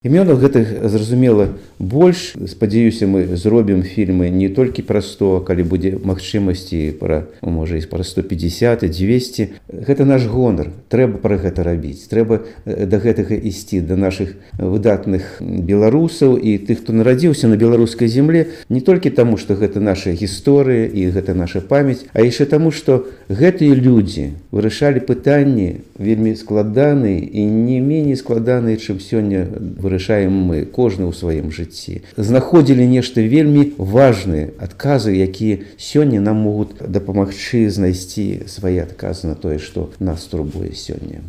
Імёнаў гэтых, зразумела, больш. Спадзяюся, мы зробім фільмы не толькі пра 100, калі будзе магчымасці пра, можа, і пра 150 і 200. Гэта наш гонар. Трэба пра гэта рабіць. Трэба да гэтага ісці, да нашых выдатных беларусаў і тых, хто нарадзіўся на беларускай земле, не толькі таму, што гэта наша гісторыя і гэта наша памяць, а яшчэ таму, што гэтыя людзі вырашалі пытанні вельмі складаныя і не меней складаныя, чым сёння вырашаем мы, кожны ў сваім жыцці. Знаходзілі нешта вельмі важныя адказы, якія сёння нам могуць дапамагчы знайсці свае адказы на тое, што нас турбуе сёння.